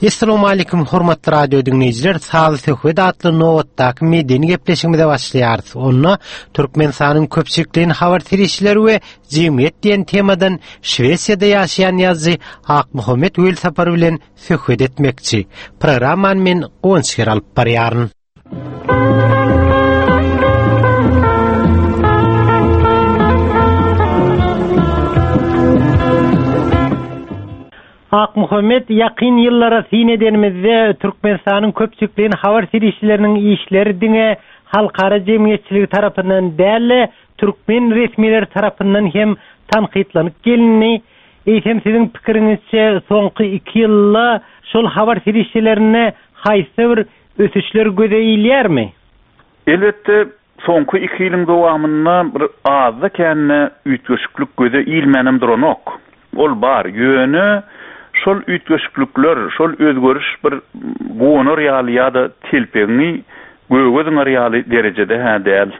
Essalamu Aleýkum hormatly radio diňleýjiler, Sazly söhbet atly nobatdaky medeni gepleşigimize başlaýarys. Onda Türkmenistanyň köpçülikleýin habar serişdeleri we jemgyýet diýen temadan Şwesiýada ýaşaýan ýazyjy Akmuhammet Welsapar bilen söhbet etmekçi. Programmany men Guwanç Ger alyp barýaryn. Akmuhammet, ýakyn ýyllara syn edenimizde, Türkmenistanyň köpçülikleýin habar serişdeleriniň işleri diňe halkara jemgyýetçiligi tarapyndan däl-de, türkmen resmileri tarapyndan hem tankytlanyp gelindi. Eýsem, siziň pikiriňizçe, soňky iki ýylda şol habar serişdelerinde haýsy bir ösüşler göze ilýärmi? Elbetde, soňky iki ýylyň dowamynda bir azda-kände üýtgeşiklik göze ilmänem duranok. Ol bar. Ýöne şol üýtgeşiklikler, şol özgeriş bir guwanar ýaly ýa-da telpegiňi göge zyňar ýaly derejede-hä däl.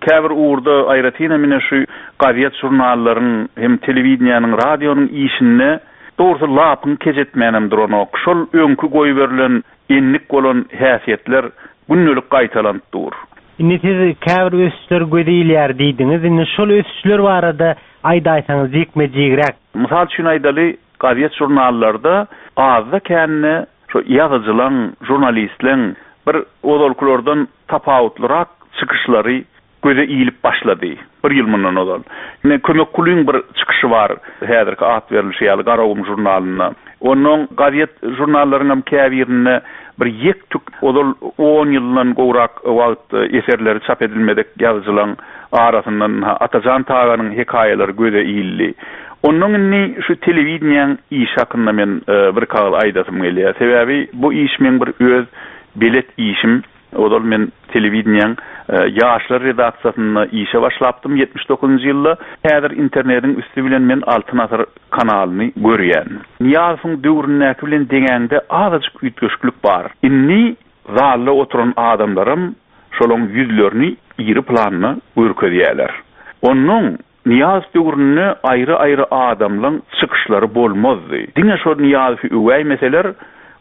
Käbir ugurda, aýratynam ine şu gazet-žurnallaryň hem telewideniýäniň, radionyň işinde dogrusy lapyňy kej etmänem duranok. Şol öňki goýberilen endik bolan häsiýetler gündelik gaýtalanyp dur. Indi siz käbir ösüşler göze ilýär diýdiňiz. Indi şol ösüşler barada aýdaýsaňyz jikme-jigräk. Mysal üçin aýdaly, gazet-žurnallarda azda-kände Şu ýazyjylaň, žurnalistleň bir ozalkylardan tapawutlyrak çykyşlary göze ilip başlady, bir ýyl mundan ozal. Ine, Kömek Kulyň bir çykyşy bar, häzirki at berlişi ýaly Garagum žurnalynda. Onnoň gazet-žurnallaryňam käbirinde bir ýek-tük ozal on ýyldan gowrak wagt eserleri çap edilmedik ýazyjylaň arasyndan ynha Atajan Taganyň hekaýalary göze ildi. Onnoň indi şu telewideniýäň işi hakynda men birki agyz aýdasym gelýär. Sebäbi bu iş meň bir öz belet işim. Ozal men telewideniýäň ýaşlar redaksiýasynda işe başlapdym 79-njy ýylda. Häzir internediň üsti bilen men Altyn asyr kanalyny görýän. Nyýazowyň döwründäki bilen deňäňde azajyk üýtgeşiklik bar. Indi zalda oturan adamlaram şolaň ýüzlerini iri planda görkezýärler. Onnoň Nyýazow döwründe aýry-aýry adamlaň çykyşlary bolmazdy. Diňe şol Nyýazowy öwäýmeseler,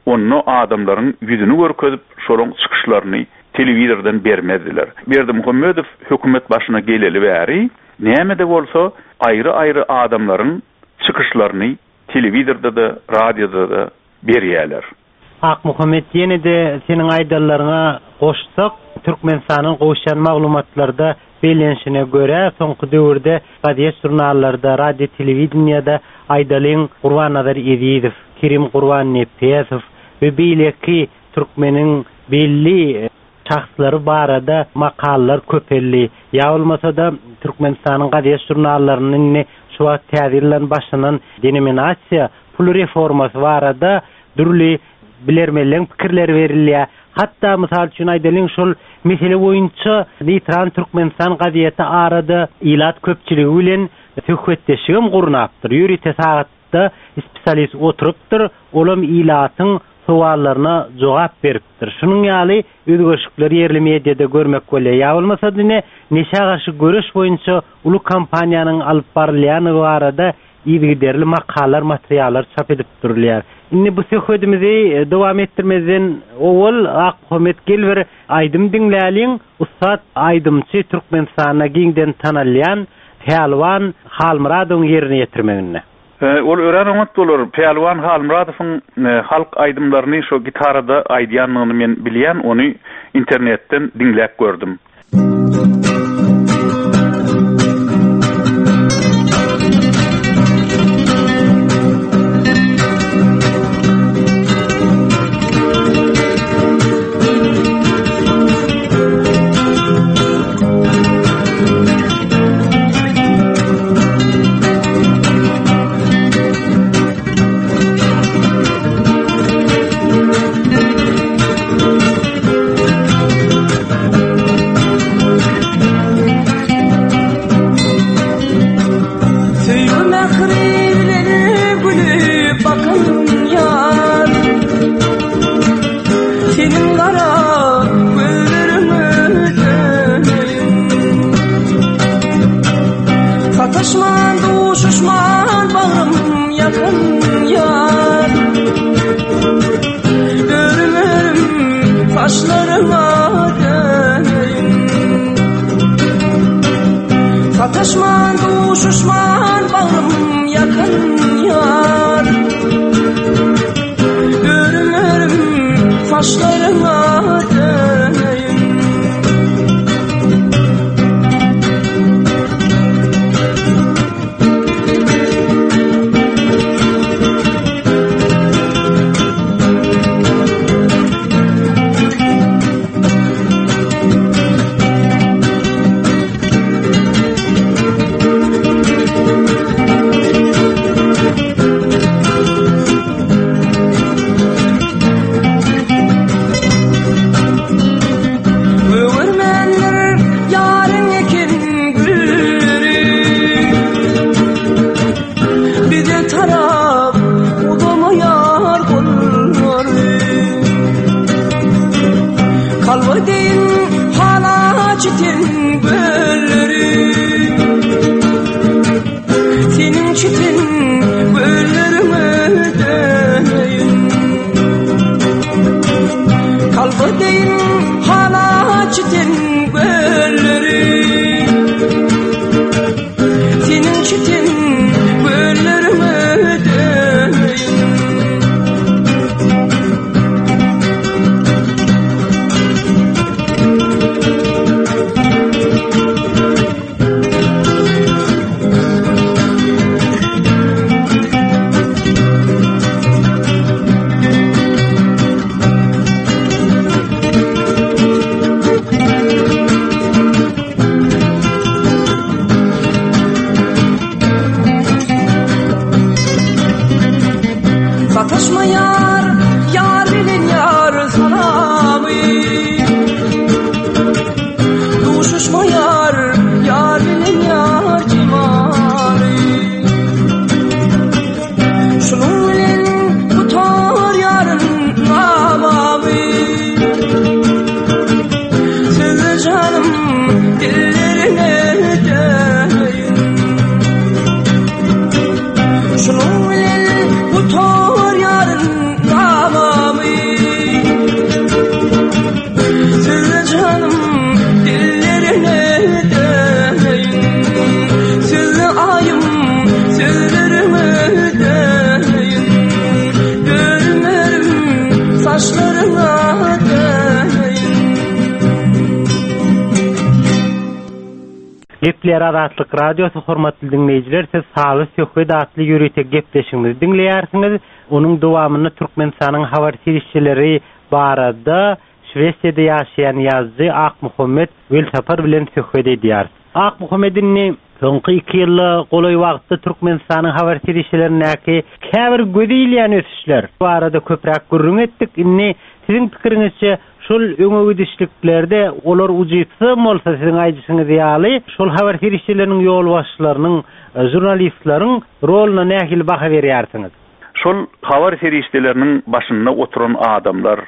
onda adamlaryň ýüzüni görkezip, şolaň çykyşlaryny telewizordan bermezdiler. Berdimuhamedow hökümet başyna geleli bäri, näme-de bolsa, aýry-aýry adamlaryň çykyşlaryny telewizorda-da, radioda-da berýärler. Akmuhammet ýene-de seniň aýdanlaryňa goşsak, Türkmenistandan gowuşýan maglumatlarda bellenişine görä, soňky döwürde gazet-žurnallarda, radio-telewideniýede aýdalyň Gurbannazar Ezizow, Kerim Gurbannepesow we beýleki türkmeniň belli şahslary barada makalalar köpeldi. Ýa bolmasa-da Türkmenistanyň gazet-žurnallarynda indi şu wagt täze ýyldan başlanan denominasiýa pul reformasy barada dürli bilermenleň pikirleri berilýär. Hatda, mysal üçin aýdalyň, şol mesele boýunça Neýtral Türkmenistan gazeti arada ilat köpçüligi bilen söhbetdeşligem gurnapdyr. Ýörite sagatda spesialist oturypdyr, olam ilatyň sowallaryna jogap beripdir. Şunuň ýaly özgerişikleri ýerli mediada görmek bolýar. Ýa bolmasa-da ine, neşä garşy göreş boýunça uly kampaniýanyň alyp barylýandygy barada yzygiderli makalar, materiallar çap edip durulýar. Indi bu söhbedimizi dowam etdirmezden owal Akmuhammet gel bir aýdym diňläliň. Ussat aýdymçy Türkmenistanda giňden tanalýan Pälwan Halmyradowyň ýerine ýetirmeginde. Ol örän oňat bolar. Pälwan Halmyradowyň halk aýdymlaryny şo gitarada aýdýandygyny men bilýän, ony internetden diňläp gördüm. çiten gölleri Seniň çiten gölleriňe döneýin Kalba deýin hala çiten gölleri Seniň çiten gölleriňe döneýin Sataşma ýar, ýar bilen ýar salamy Duşuşma ýar, ýar bilen ýar jemaly Şunuň bilen gutar ýaryn gamamy Sözle janym dillerine döneýin Şunuň bilen gutar ýaryn gamamy Sözle janym dillerine döneýin Sözle aýym sözlerime döneýin Dönmerin saçlaryňa döneýin Gepleýär Azatlyk Radiosy hormatly diňleýjiler siz Saly söhbet atly ýörite gepleşigimizi diňleýärsiňiz. Onuň dowamynda Türkmenistanyň habar serişdeleri barada Şwesiýada ýaşaýan ýazyjy Akmuhammet Welsapar bilen söhbet edýäris. Akmuhammet indi soňky iki ýyla golaý wagtda Türkmenistanyň habar serişdelerindäki käbir göze ilýän ösüşler barada köpräk gürrüň etdik. Indi siziň pikiriňizçe şol öňe gidişliklerde olar ujypsyzam bolsa siziň aýdyşyňyz ýaly şol habar serişdeleriniň ýolbaşçylarynyň, žurnalistleriň roluna nähili baha berýärsiňiz? Şol habar serişdeleriniň başynda oturan adamlar,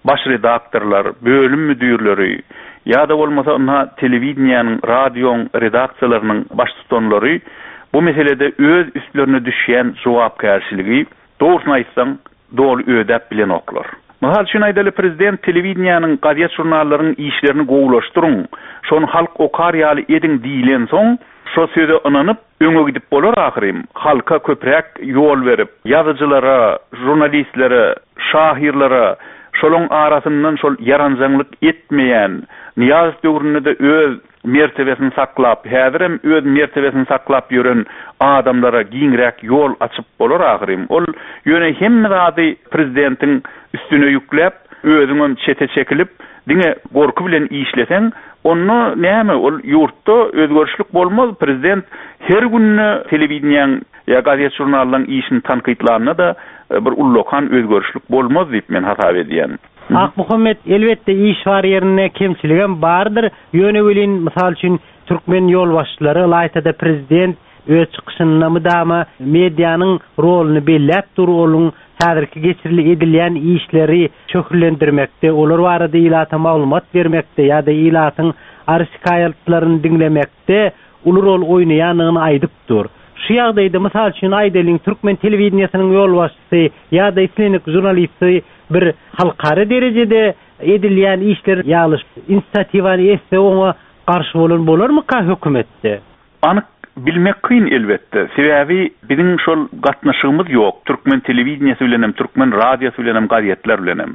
baş redaktorlar, bölüm müdirleri ýa-da bolmasa ynha telewideniýäniň, radioň redaksiýalarynyň baştutanlary bu meselede öz üstlerine düşýän jogapkärçiligi, dogrusyny aýtsaň, doly ödäp bilenoklar. Mysal üçin aýdaly, prezident telewideniýäniň, gazet-žurnallaryň işlerini gowulaşdyryň, şony halk okar ýaly ediň diýlensoň, şo söze ynanyp, Öňe gidip bolar ahyryn, halka köpräk ýol berip, ýazyjylara, žurnalistlere, şahyrlara, şolaň arasyndan şol ýaranjaňlyk etmeýän, Nyýazow döwründe-de öz mertebesini saklap, häzirem öz mertebesini saklap ýören adamlara giňräk ýol açyp bolar ahyryn. Ol ýöne hemme zady prezidentiň üstüne ýükläp, özüňem çete çekilip, Diňe gorky bilen işleseň, onda näme, ol ýurtda özgerişlik bolmaz. Prezident her günde telewideniýäň ýa gazet-žurnallaryň işini tankytlanda-da bir ullakan özgerişlik bolmaz diýip men hasap edýän. Akmuhammet, elbetde iş bar ýerinde kemçiligem bardyr. Ýöne welin, mysal üçin, türkmen ýolbaşçylary, ylaýta-da prezident Öz çykyşynda mydama medianyň roluny belläp dur, onuň häzirki geçirili edilýän işleri şöhlelendirmekde, olar barada ilata maglumat bermekde ýa-da ilatyň arz-şikaýatlaryny diňlemekde uly rol oýnaýandygyny aýdyp dur. Şu ýagdaýda, mysal üçin, aýdalyň, türkmen telewideniýesiniň ýolbaşçysy ýa-da islendik žurnalisti bir halkara derejede edilýän işler ýaly inisiatiwany etse oňa garşy bolan bolarmyka hökümetde? Anyk bilmek kyn elbetde. Sebäbi biziň şol gatnaşygymyz ýok, türkmen telewideniýesi bilenem, türkmen radiosy bilenem, gazetler bilenem.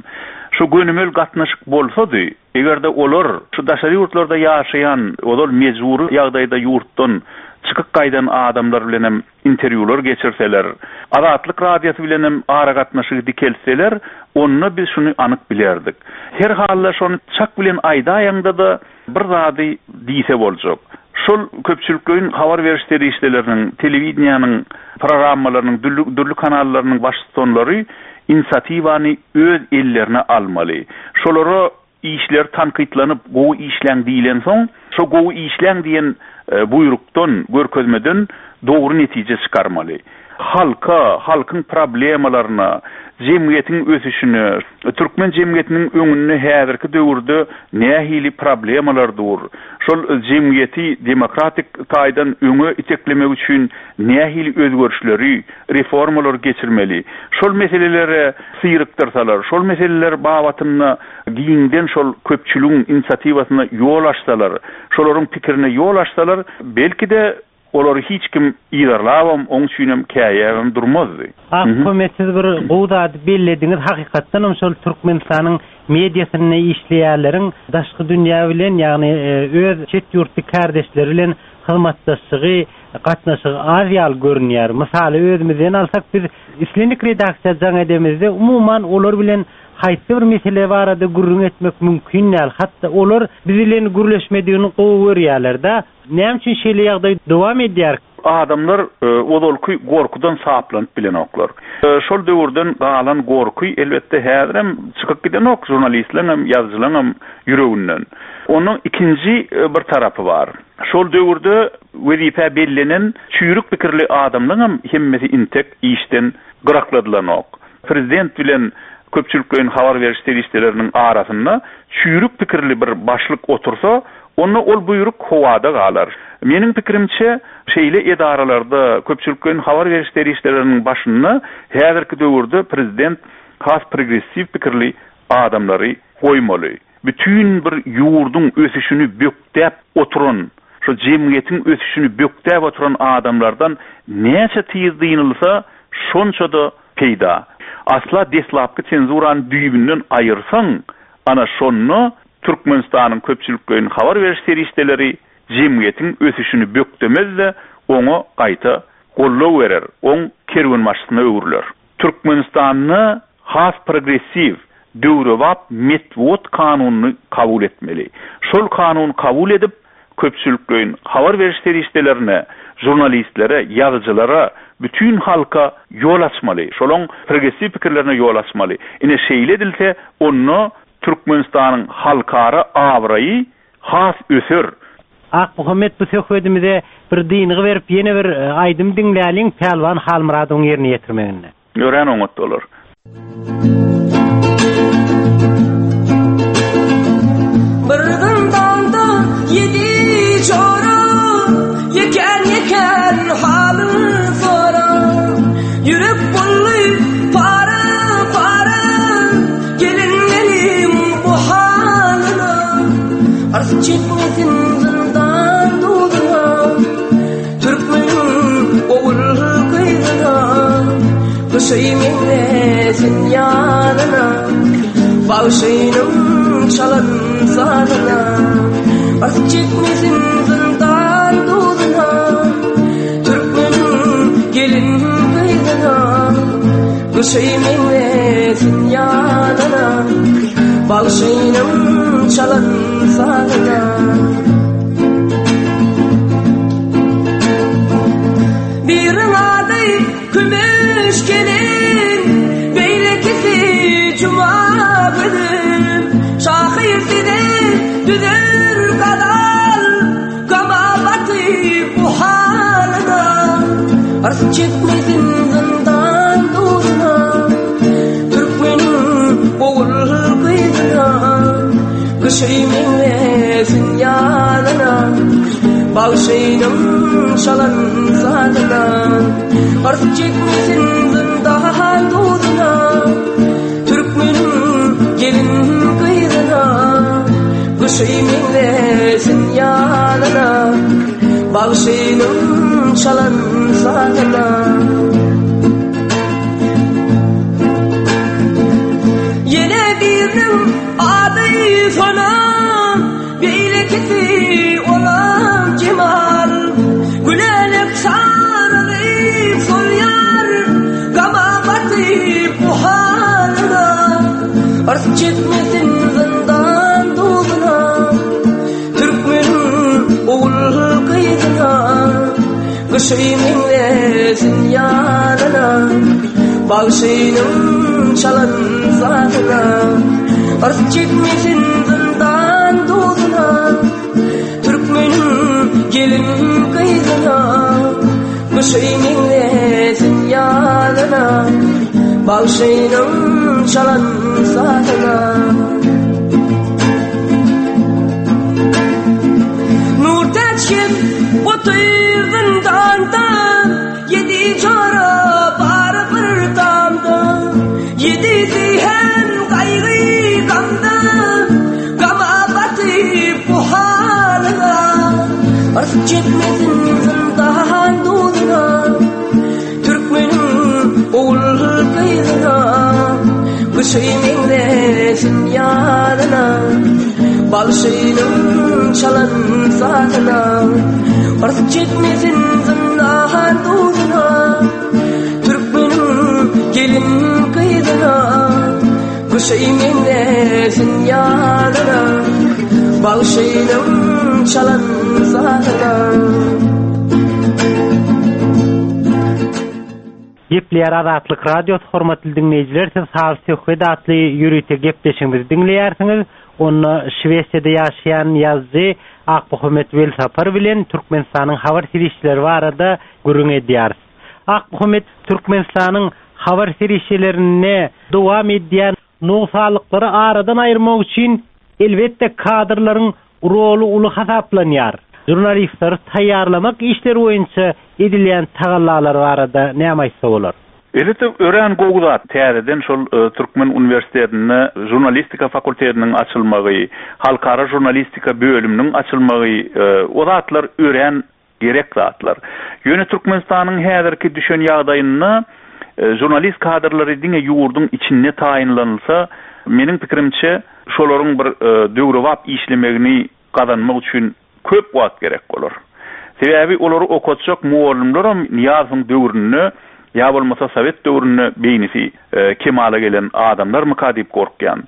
Şu gönümel gatnaşyk bolsady, eger-de olar şu daşary ýurtlarda ýaşaýan, ozal mejbury ýagdaýda ýurtdan çykyp gaýdan adamlar bilenem interwýular geçirseler, Azatlyk Radiosy bilenem aragatnaşygy dikeltseler, onda biz şuny anyk bilerdik. Her halda şony çak bilen aýdaýaňda-da, Bir zady diýse boljak. Şol köpçülikleýin habar beriş serişdeleriniň, telewideniýäniň programmalarynyň, dürli kanallarynyň baştutanlary inisiatiwany öz ellerine almaly. Şolara işleri tankytlanyp, gowy işläň diýlensoň, şo gowy işläň diýen buýrukdan, görkezmeden dogry netije çykarmaly. Halka, halkyň problemalaryna, jemgyýetiň ösüşine, türkmen jemgyýetiniň öňünde häzirki döwürde nähili problemalar dur, Şol jemgyýeti demokratik taýdan öňe iteklemek üçin nähili özgerişleri, reformalary geçirmeli? Şol meselelere syrykdyrsalar, şol meseleler babatynda giňden şol köpçüligiň inisiatiwasyna ýol açsalar, şolaryň pikirine ýol açsalar, belki-de, Olary hiç kim yzarlabam, oň üçinem käýäbem durmazdy. Akkömek siz bir gowy zady bellediňiz hakykatdanam şol Türkmenistanyň mediasynda işleýänleriň daşky dünýä bilen ýagny öz çet ýurtly kärdeşleri bilen hyzmatdaşlygy gatnaşygy az ýaly görünýär. Mysaly özümizden alsak biz islendik redaksiýa jaň edemizde umuman olar bilen haýsy bir mesele barada gürrüň etmek mümkin däl hatda olar biz bilen gürleşmedigini gowy görýärler-de Näme üçin şeýle ýagdaý dowam edýär? Adamlar ozalky gorkudan saplanyp bilenoklar. Şol döwürden galan gorky, elbetde, häzirem çykyp gidenok žurnalistleňem, ýazyjylaňam ýüreginden. Onuň ikinji bir tarapy bar. Şol döwürde wezipä bellenen çüýrük pikirli adamlaňam hemmesi intek işden gyrakladylanok. Prezident bilen köpçülikleýin habar beriş serişdeleriniň arasynda çüýrük pikirli bir başlyk otursa, onda ol buýruk howada galar. Meniň pikirimçe, şeýle edaralarda, köpçülikleýin habar beriş serişdeleriniň başynda häzirki döwürde prezident has progressiw pikirli adamlary goýmaly. Bütin bir ýurduň ösüşini bökdäp oturan, şo jemgyýetiň ösüşini bökdäp oturan adamlardan näçe tiz dynylsa, şonça-da peýda. Asla deslapky senzurany düýbünden aýyrsaň, ana şonda Türkmenistanyň köpçülikleýin habar beriş serişdeleri jemgyýetiň ösüşini bökdemez-de, oňa gaýta goldaw berer, oň kerwenbaşysyna öwrüler. Türkmenistanda has progressiw, döwrebap metbugat kanunyny kabul etmeli. Şol kanuny kabul edip, köpçülikleýin habar beriş serişdelerine, žurnalistlere, ýazyjylara, bütin halka ýol açmaly. Şolaň progressiw pikirlerine ýol açmaly. Ine şeýle edilse, onda Türkmenistanyň halkara abraýy has öser. Akmuhammet bu söhbedimize bir dyngy berip ýene bir aýdym diňläliň Pälwan Halmyradowyň ýerine ýetirmeginde. Örän oňat bolar. Bir zyndanda ýedi jora, Ýekän-ýekän halyn sora. Ýürek boldy para-para, Gelinleriň bu halyna. Ars çekmesin zyndan duzuna, Türkmeniň ogul gyzyna, Gyşy meňzesin ýazyna, Bagşynyň çalan sazyna. Ars çekmesin zyndan duzuna, Türkmeniň gelin gyzyna, Gyşy meňzesin ýazyna, Bagşynyň çalan sazyna. Biriň ady Kümüş gelin, beýlekisi Juma gülüm. Şahyr size düzer gazal, gama batyp bu halyna. Ars çekmesin zyndan duzuna, Türkmeniň ogul gyzyna. Gyşy meňzesin ýazyna, Bagşynyň çalan sazyna. Ars çekmesin zyndan duzuna, Türkmeniň gelin gyzyna. Gyşy meňzesin ýazyna, Bagşynyň çalan sazyna. Ýene biriniň Ady Sona, beýlekisi olam Jemal. Gülälek saralyp solýar, gama batyp bu halyna. Ars çekmesin zyndan duzuna, türkmeniň ogul gyzyna. Gyşy meňzesin ýazyna, Bagşynyň çalan sazyna. Yrs çekmesin zyndan duzuna, Türkmeniň gelin gyzyna. Gyşy meňzesin ýazyna, Bagşynyň çalan sazyna. Yrsy çekmesin zyndan duzuna, Türkmeniň ogul-gyzyna. Gyşy meňzesin ýazyna, Bagşynyň çalan sazyna. Yrsy çekmesin zyndan duzuna, Türkmeniň gelin-gyzyna. Gyşy meňzesin ýazyna, Bagşynyň çalan sazyna. Gepleýär Azatlyk Radiosy hormatly diňleýjiler siz Saz söhbet atly ýörite gepleşigimizi diňleýärsiňiz. Onda Şwesiýada ýaşaýan ýazyjy Akmuhammet Welsapar bilen Türkmenistanyň habar serişdeleri barada gürrüň edýäris. Akmuhammet Türkmenistanyň habar serişdelerinde dowam edýän nogsanlyklary aradan aýyrmak üçin elbetde kadrlaryň roly uly hasaplanýar. Žurnalistleri taýýarlamak işleri boýunça edilýän tagallalar barada näme aýtsa bolar? Elbetde, örän gowy zat, täzeden şol Türkmen uniwersitetinde žurnalistika fakultetiniň açylmagy, halkara žurnalistika bölüminiň açylmagy, o zatlar örän gerek zatlar. Ýöne Türkmenistanyň häzirki düşen ýagdaýynda žurnalist kadrlary diňe ýurduň içinde taýynlanylsa, meniň pikirimçe, şolaryň bir döwrebap işlemegini gazanmak üçin köp wagt gerek bolar. Sebäbi olary okatjak mugallymlaram Nyýazowyň döwründe ýa bolmasa sowet döwründe beýnisi kemala gelen adamlarmyka diýip gorkýan.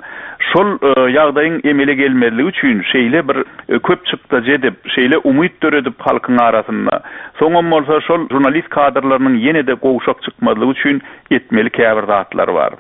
Şol ýagdaýyň emele gelmezligi üçin şeýle bir köp çykdajy edip, şeýle umyt döredip halkyň arasynda, soňam bolsa şol žurnalist kadrlarynyň ýene-de gowşak çykmazlygy üçin etmeli käbir zatlar bar.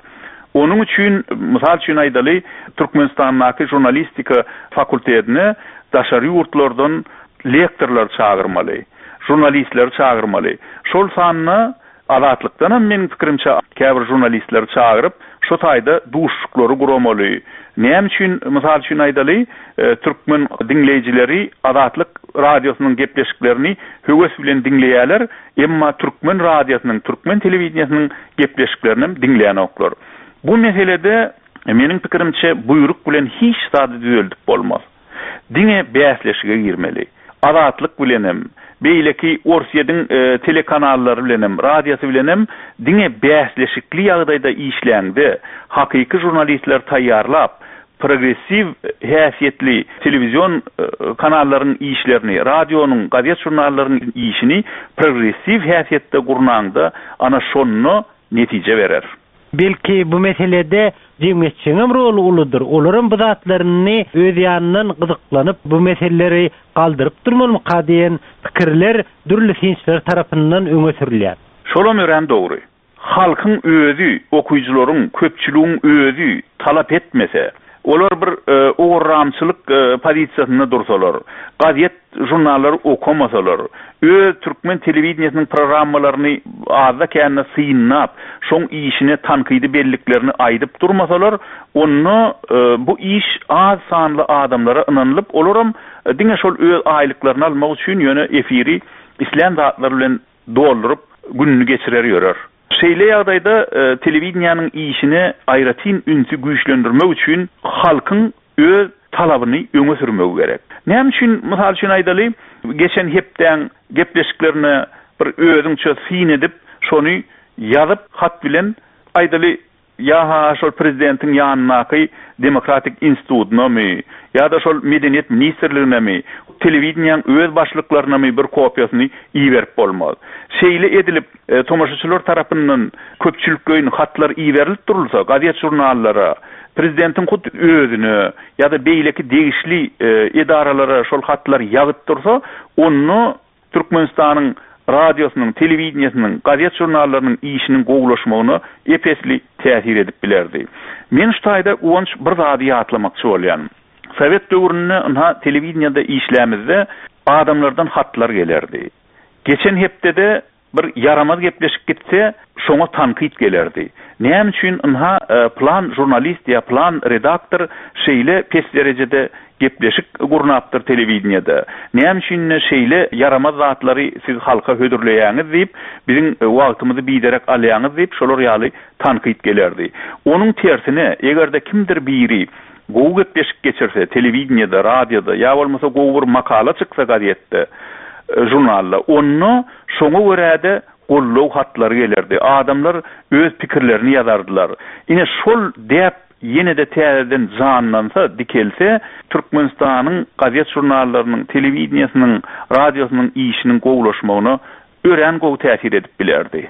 Onuň üçin, mysal üçin aýdaly, Türkmenistandaky žurnalistika fakultetine daşary ýurtlardan lektorlary çagyrmaly, žurnalistleri çagyrmaly. Şol sanda Azatlykdanam meniň pikirimçe käbir žurnalistleri çagyryp, şo taýda duşuşyklary guramaly. Näme üçin, mysal üçin aýdaly, türkmen diňleýjileri Azatlyk radiosynyň gepleşiklerini höwes bilen diňleýärler, emma türkmen radiosynyň, türkmen telewideniýesiniň gepleşiklerinem diňlänoklar. Bu meselede, meniň pikirimçe, buýruk bilen hiç zady düzeldip bolmaz. Diňe bäsleşige girmeli. Azatlyk bilenem, beýleki Orsýediň telekanallary bilenem, radiosy bilenem diňe bäsleşikli ýagdaýda işläňde, hakyky žurnalistleri taýýarlap, progressiw häsiýetli telewizion kanallaryň işlerini, radionyň, gazet-žurnallaryň işini progressiw häsiýetde gurnaňda, ana şonda netije berer. Belki bu meselede jemgyýetçiligiňem roly uludyr. Olaram bu zatlaryny öz ýanyndan gyzyklanyp bu meseleleri galdyryp durmalymyka diýen pikirler dürli synçylar tarapyndan öňe sürülýär. Şolam örän dogry. Halkyň özi, okyjylaryň, köpçüligiň özi talap etmese, olar bir owarramçylyk pozisiýasynda dursalar, gazet žurnallary okamasalar, öz türkmen telewideniýesiniň programmalaryny azda-kände synlap, şoň işine tankydy belliklerini aýdyp durmasalar, onda bu iş az sanly adamlara ynanylyp, olaram diňe şol öz aýlyklaryny almak üçin ýöne efiri islän zatlary bilen dolduryp gününi geçirer ýörer. Şeýle ýagdaýda telewideniýäniň işine aýratyn ünsi güýçlendirmek üçin halkyň öz talabyny öňe sürmegi gerek. Näme üçin, mysal üçin aýdaly, geçen hepdäň gepleşiklerine bir özüňçe syn edip, şony ýazyp hat bilen aýdaly, Ýa-ha şol prezidentiň ýanyndaky demokratik institutynamy, ýa-da şol medeniýet ministrliginemi, telewideniýäň öz başlyklarynamy bir kopiýasyny iberip bolmaz. Şeýle edilip, tomaşaçylar tarapyndan köpçülikleýin hatlar iberilip durulsa, gazet-žurnallara, prezidentiň hut özüne ýa-da beýleki degişli edaralara şol hatlar ýazyp dursa, onda Türkmenistanyň radiosynyň, telewideniýesiniň, gazet-žurnallarynyň işiniň gowulaşmagyna ep-esli täsir edip bilerdi. Men şu taýda Guwanç bir zady ýatlamakçy bolýan. Sowet döwründe ynha telewideniýede işlämizde adamlardan hatlar gelerdi. Geçen hepdede Bir ýaramaz gepleşik gitse, şoňa tankyt gelerdi. Näme üçin ynha pylan žurnalist ýa pylan redaktor şeýle pes derejede gepleşik gurnapdyr telewideniýede? Näme üçin şeýle ýaramaz zatlary siz halka hödürleýäňiz diýip, biziň wagtymyzy biderek alýaňyz diýip, şolar ýaly tankyt gelerdi. Onuň tersine, eger-de kimdir biri gowy gepleşik geçirse telewideniýede, radioda ýa bolmasa gowy bir makala çyksa gazetde. žurnalda. Onda şoňa görä-de goldaw hatlary gelerdi. Adamlar öz pikirlerini ýazardylar. Ine, şol däp ýene-de täzeden janlansa, dikelse, Türkmenistanyň gazet-žurnallarynyň, telewideniýesiniň, radiosynyň işiniň gowulaşmagyna örän gowy täsir edip bilerdi.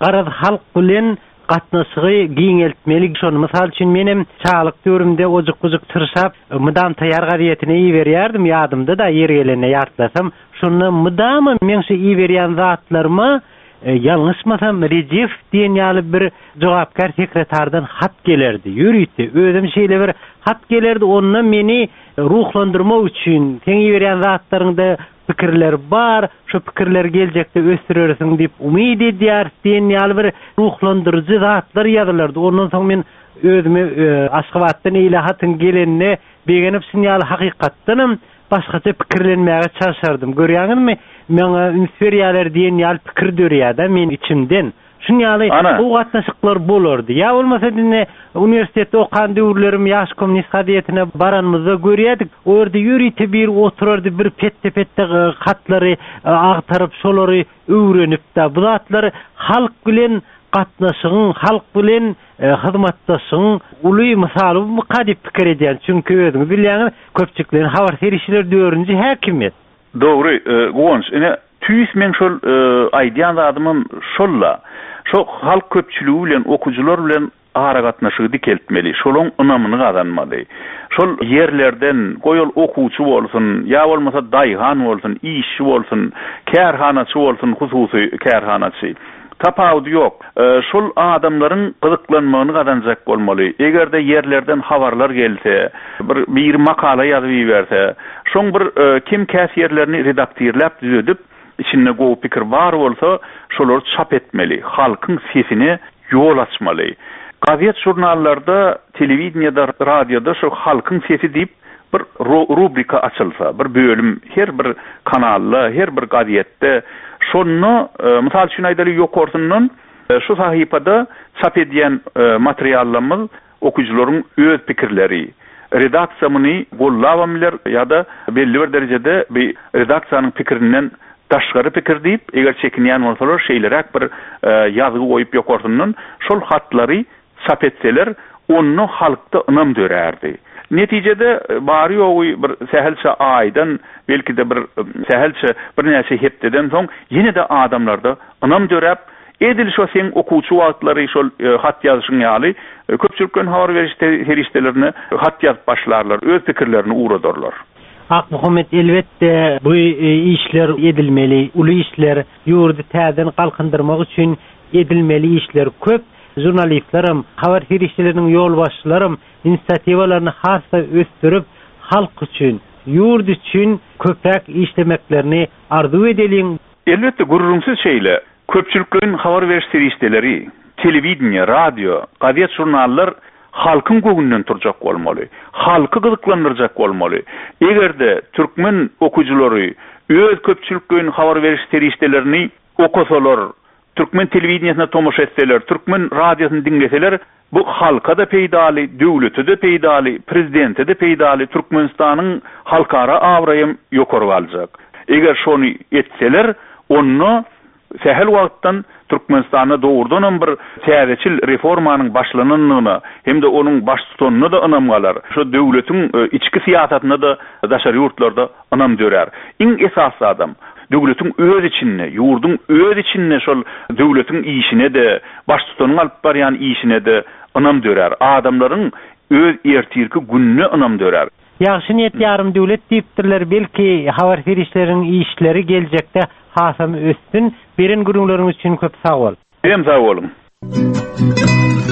Garaz, halk bilen gatnaşygy giňeltmeli. Şony, mysal üçin, menem çagalyk döwrümde ojuk-bujuk çyrşap, Mydam taýýar gazetini iberýärdim, ýadymda-da, ýeri gelende ýatlasam. Şonda mydama meň şu iberýän zatlaryma, ýalňyşmasam, Rejepow diýen ýaly bir jogapkär sekretardan hat gelerdi. Ýörite, özem şeýle bir hat gelerdi, onda meni ruhlandyrmak üçin, seň iberýän zatlaryňda pikirler bar, şu pikirleri geljekde ösdürersiň diýip umyt edýäris diýen ýaly bir ruhlandyryjy zatlar ýazylardy. Ondan soň men özüme Aşgabatdan eýle hatyň gelenine begenip şun ýaly hakykatdanam başgaça pikirlenmäge çalşardym. Görýäňizmi, maňa üns berýärler diýen ýaly pikir dörýär-de meniň içimden. Şun ýaly gowy gatnaşyklar bolardy. Ýa bolmasa indi uniwersitetde okan döwürlerim Ýaş kommunist gazetine baranymyzda görýärdik. O ýerde ýörite biri oturardy, bir petde-petde hatlary agtaryp, şolary öwrenip-de, bu zatlar halk bilen gatnaşygyň, halk bilen hyzmatdaşlygyň uly mysaly bumyka diýip pikir edýän. Çünki özüňiz bilýäňiz, köpçülikleýin habar serişdeleri dördünji häkimiýet. Dogry, Guwanç, ine, tüýs meň şol aýdýan zadymam şol-la. Şo halk köpçüligi bilen, okyjylar bilen aragatnaşygy dikeltmeli, şolaň ynamyny gazanmaly. Şol ýerlerden, goý ol okuwçy bolsun, ýa bolmasa daýhan bolsun, işçi bolsun, kärhanaçy bolsun, hususy kärhanaçy. Tapawudy ýok. Şol adamlaryň gyzyklanmagyny gazanjak bolmaly. Eger-de ýerlerden habarlar gelse, bir biri makala ýazyp iberse, şoň bir kem-käs ýerlerini redaktirläp düzedip, içinde gowy pikir bar bolsa, şolary çap etmeli, halkyň sesine ýol açmaly. Gazet-žurnallarda, telewideniýede, radioda şu halkyň sesi diýip bir rubrika açylsa, bir bölüm her bir kanalda, her bir gazetde, şonda, mysal üçin aýdaly, ýokarsyndan şu sahypada çap edýän materiallarymyz okyjylaryň öz pikirleri. Redaksiýa muny gollabam biler ýa-da belli bir derejede bi redaksiýanyň pikirinden daşgary pikir diýip, eger çekinýän bolsalar şeýleräk bir ýazgy goýup ýokarsyndan şol hatlary çap etseler, onda halkda ynam dörärdi. Netijede, bary-ýogy bir sähelçe aýdan, belki-de bir sähelçe, birnäçe hepdeden soň ýene-de adamlarda ynam döräp, edil şo seň okuwçy wagtlary şol hat ýazyşyň ýaly, köpçülikleýin habar beriş serişdelerine hat ýazyp başlarlar, öz pikirlerini ugradarlar. Akmuhammet, elbetde, bu işler edilmeli, uly işler, ýurdy täzeden galkyndyrmak üçin edilmeli işler köp. Žurnalistlerem, habar serişdeleriniň ýolbaşçylaram inisiatiwalaryny has-da ösdürip, halk üçin, ýurt üçin köpräk işlemeklerini arzuw edeliň. Elbetde, gürrüňsiz şeýle. Köpçülikleýin habar beriş serişdeleri, telewideniýe, radio, gazet-žurnallar halkyň göwnünden turjak bolmaly. Halky gyzyklandyrjak bolmaly. Eger-de türkmen okyjylary öz köpçülikleýin habar beriş serişdelerini okasalar, Türkmen telewideniýesine tomaşa etseler, türkmen radiosyny diňleseler, bu halka-da peýdaly, döwlete-de peýdaly, prezidente-de peýdaly, Türkmenistanyň halkara abraýam ýokary galjak. Eger şony etseler, onda sähel wagtdan Türkmenistanda dogrudanam bir täzeçil reformanyň başlanandygyna hem-de onuň baştutanyna-da ynam galar. Şu döwletiň içki syýasatyna-da daşary ýurtlarda ynam dörär. Iň esasy zadam, döwletiň öz içinde, ýurduň öz içinde şol döwletiň işine-de, baştutanyň alyp barýan işine-de ynam dörär. Adamlaryň öz ertirki gününe ynam dörär. Ýagşy niýet ýarym döwlet diýipdirler, belki habar serişdeleriň işleri geljekde hasam össün. Beren gürrüňleriň üçin köp sag bol. Sizem sag boluň.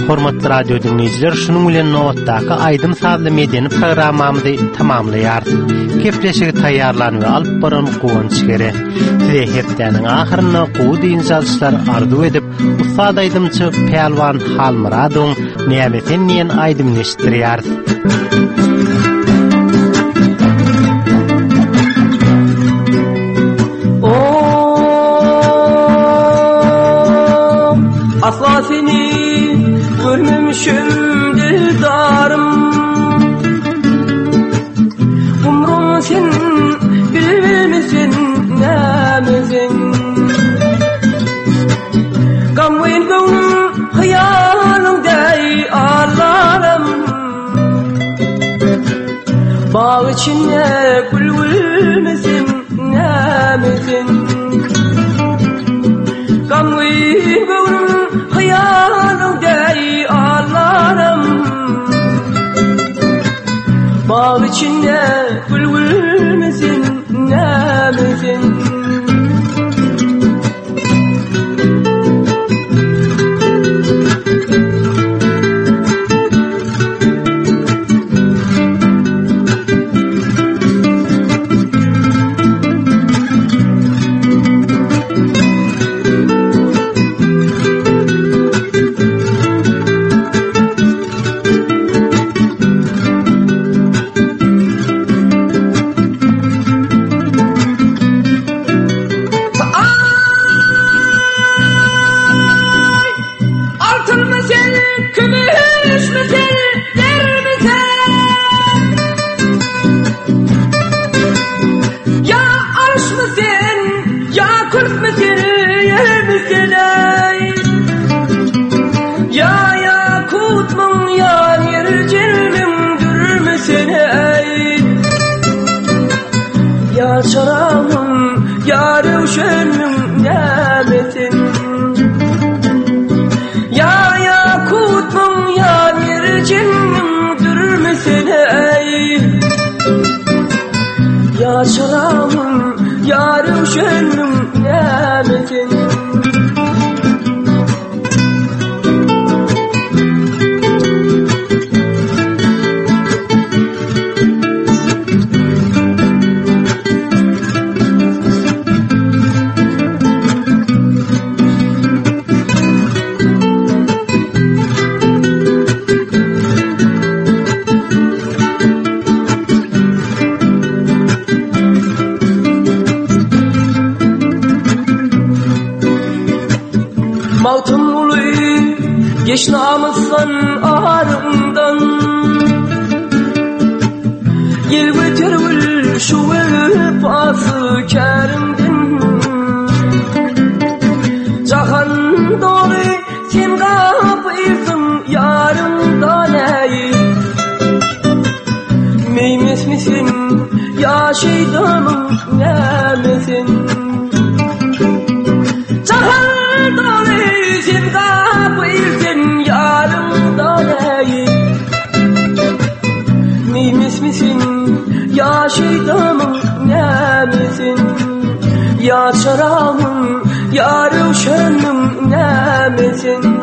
Hormatly radio diňleýjiler, şunuň bilen nobatdaky aýdym-sazly medeni programmamyzy tamamlaýarys. Gepleşigi taýýarlan we alyp baran Guwanç Gere. Size hepdäniň ahyrynda gowy dynç alyşlar arzuw edip, ussat aýdymçy Pälwan Halmyradowyň Näme sen diýen aýdymyny eşitdirýäris. Asla seni görmemişim dildarım Umrum sen bilbilmisin ne? Nämesin ey? Ya yakutmuň ya ýerjelmiň dürmüsin ey? Ya çaramyň ya röwşenmiň nämesin? Ya yakutmuň ya ýerjelmiň dürmüsin ey? Ya çaramyň ya röwşenmiň nämesin? Magtymguly geç namysdan aryňdan Gel göter gül şu wepasy käriňden Jahan doly sen gapylsyň ýaryňdan äý Meýmesmisin ýa şeýdamyň nämesin Jahan doly sen gapylsyň ýaryňdan äý Meýmesmisin ýa şeýdamyň nämesin Ýa çaramyň ýa röwşenmiň nämesin.